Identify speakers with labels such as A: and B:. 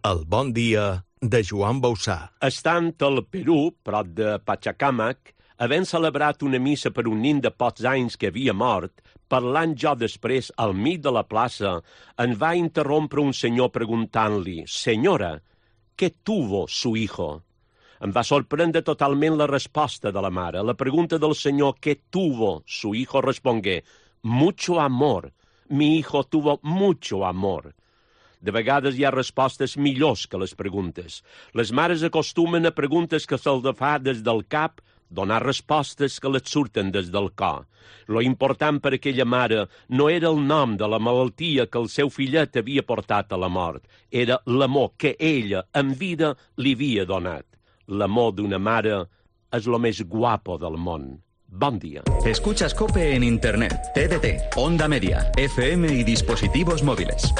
A: El bon dia de Joan Bausà.
B: Estant al Perú, prop de Pachacamac, havent celebrat una missa per un nin de pocs anys que havia mort, parlant jo després al mig de la plaça, en va interrompre un senyor preguntant-li: «Senyora, què tuvo su hijo?» Em va sorprendre totalment la resposta de la mare. La pregunta del senyor «què tuvo su hijo?» respongué: «Mucho amor. Mi hijo tuvo mucho amor». De vegades hi ha respostes millors que les preguntes. Les mares acostumen a preguntes que se'ls fa des del cap donar respostes que les surten des del cor. Lo important per aquella mare no era el nom de la malaltia que el seu fillet havia portat a la mort, era l'amor que ella, en vida, li havia donat. L'amor d'una mare és lo més guapo del món. Bon dia.
C: Escuchas COPE en Internet, TDT, Onda Media, FM y dispositivos móviles.